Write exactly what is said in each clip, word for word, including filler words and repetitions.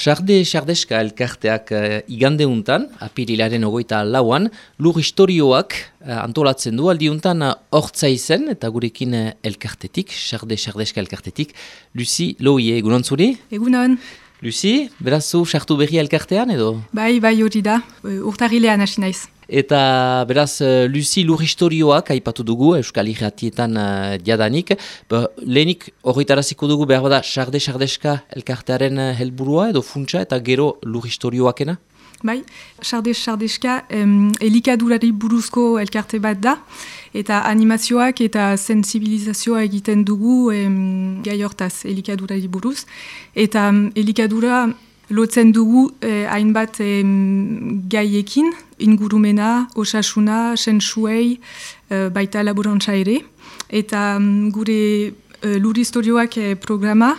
Sarde Sardeska elkarteak uh, igandeuntan, apirilaren ogoita lauan, lur historioak uh, antolatzen du aldiuntan hortza uh, izen, eta gurekin uh, elkartetik, Sarde Sardeska elkartetik, Lucy Loie, egunon zuri? Egunon. Lucy, beraz zu sartu berri elkartean edo? Bai, bai hori da, urtarrilean hasi naiz. Eta beraz, Lucy lur historioak aipatu dugu, Euskal Irratietan uh, diadanik. Ba, lehenik horretaraziko dugu behar bada Sarde Sardeska elkartearen uh, helburua edo funtsa eta gero lur historioakena? Bai, Sarde Sardeska um, elikadurari buruzko elkarte bat da, eta animazioak eta sensibilizazioa egiten dugu um, gai hortaz elikadurari buruz. Eta um, elikadura lotzen dugu eh, hainbat eh, gaiekin, ingurumena, osasuna, sentsuei, eh, baita laborantza ere. Eta um, gure eh, lur historioak eh, programa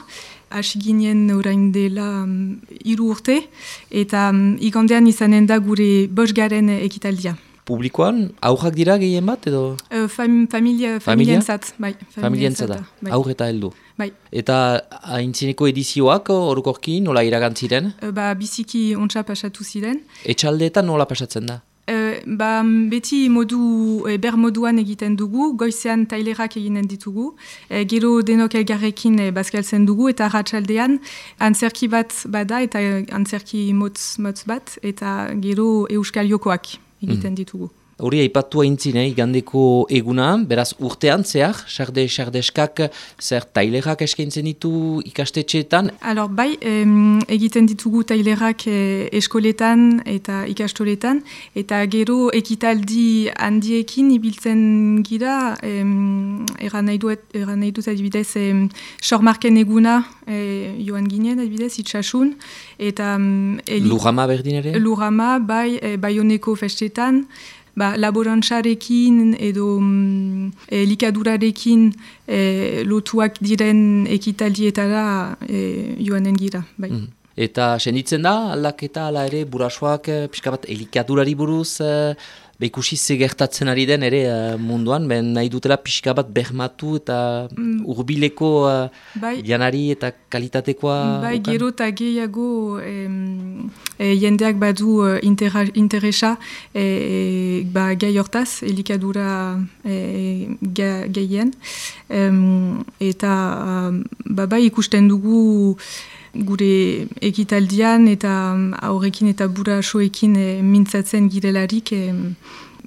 hasi ginen orain dela um, hiru urte, eta um, igandean izanen da gure bosgaren ekitaldia. Publikoan, aurrak dira gehien bat edo? Uh, fam, familia, familientzat, bai. Familientzat da, bai. aur eta heldu. Bai. Eta aintzineko edizioak orokorki nola iragantziren? Uh, ba, biziki ontsa pasatu ziren. Etxaldeetan nola pasatzen da? Uh, ba, beti modu, e, ber moduan egiten dugu, goizean tailerak eginen ditugu, e, gero denok elgarrekin e, bazkaltzen dugu, eta ratxaldean antzerki bat bada, eta antzerki motz, motz bat, eta gero euskal jokoak egiten ditugu. Hori aipatu aintzin, eh, igandeko eguna, beraz urtean zehar, Sarde Sardeskak zer tailerak eskaintzen ditu ikastetxeetan? Alor, bai, em, egiten ditugu tailerak eh, eskoletan eta ikastoletan, eta gero ekitaldi handiekin ibiltzen gira, em, eran nahi dut, eran nahi dut adibidez, em, sormarken eguna eh, joan ginen adibidez, itxasun, eta... Em, Lurama berdin ere? Lurama, bai, eh, Baioneko festetan, ba, laborantzarekin edo mm, e, likadurarekin e, lotuak diren ekitaldietara e, joanen gira. Bai. Mm. Eta senditzen da, aldaketa ala ere, burasoak, pixka bat elikadurari buruz, e, ikusi ze gertatzen ari den ere uh, munduan, ben nahi dutela pixka bat bermatu eta mm. urbileko uh, bai. Janari eta kalitatekoa... Bai, ukan? Gero eta gehiago em, e, jendeak badu uh, intera, interesa e, ba, gai hortaz, elikadura e, ga, gehien. Em, eta um, ba, bai ikusten dugu gure ekitaldian eta aurrekin eta burasoekin e, mintzatzen girelarik e,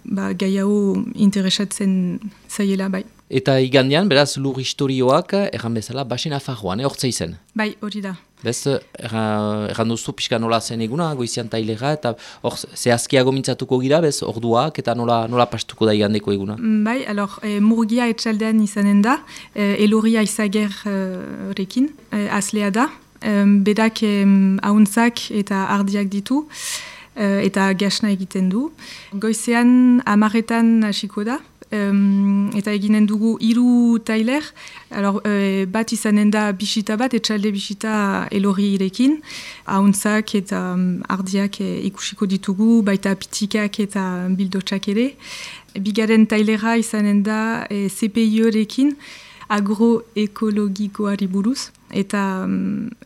ba, gai hau interesatzen zaiela bai. Eta igandean, beraz, lur historioak, erran bezala, basen afarroan, hortza izen? Bai, hori da. Bez, erran duzu pixka nola zen eguna, goizian tailera, eta hor, zehazkiago mintzatuko gira, bez, orduak, eta nola, nola pastuko da igandeko eguna? Bai, alor, e, murgia etxaldean izanen da, e, eloria izagerrekin, e, aslea da, Um, bedak um, ahuntzak eta ardiak ditu uh, eta gasna egiten du. Goizean amaretan hasiko da um, eta eginen dugu hiru tailer. Alors, uh, bat izanen da bisita bat, etxalde bisita elorri irekin. Ahuntzak eta um, ardiak e, ikusiko ditugu, baita pitikak eta bildotxak ere. Bigaren tailera izanen da e, C P I-rekin, agroekologikoari buruz, eta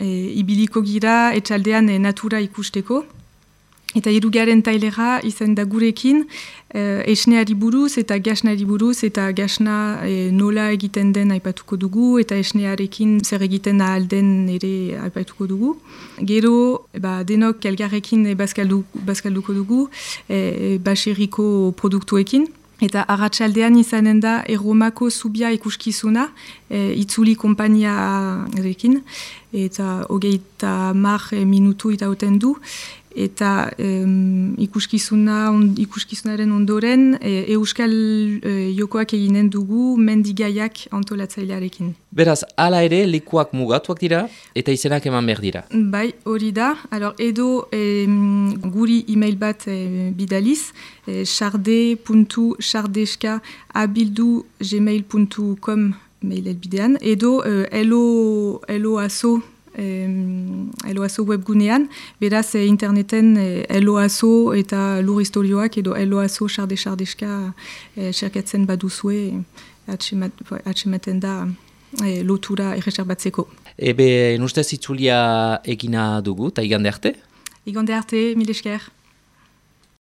e, ibiliko gira etxaldean e, natura ikusteko. Eta hirugaren tailera izan da gurekin e, esneari buruz eta gasnari buruz, eta gasna e, nola egiten den aipatuko dugu, eta esnearekin zer egiten ahal den ere aipatuko dugu. Gero, ba, denok elgarrekin e, bazkaldu, bazkalduko dugu, e, baserriko produktuekin. Eta arratsaldean izanen da Erromako zubia ikuskizuna, e, itzuli konpainiarekin, eta hogeita mar minutu itauten du, eta um, ikuskizuna, on, ikuskizunaren ondoren e, euskal e, jokoak eginen dugu mendigaiak antolatzailearekin. Beraz, hala ere lekuak mugatuak dira eta izenak eman behar dira. Bai, hori da. Alors, edo e, guri email bat e, bidaliz, e, sarde puntu sardeska abildu gmail puntu com mail elbidean, edo e, elo, elo aso Eloazo webgunean, beraz eh, interneten eh, Eloazo eta lur historioak edo Eloazo Sarde Sardeska eh, serkatzen baduzue atxematen da e, lotura erreserbatzeko. Ebe, nustez itzulia egina dugu, eta igande arte? Igande arte, mil esker.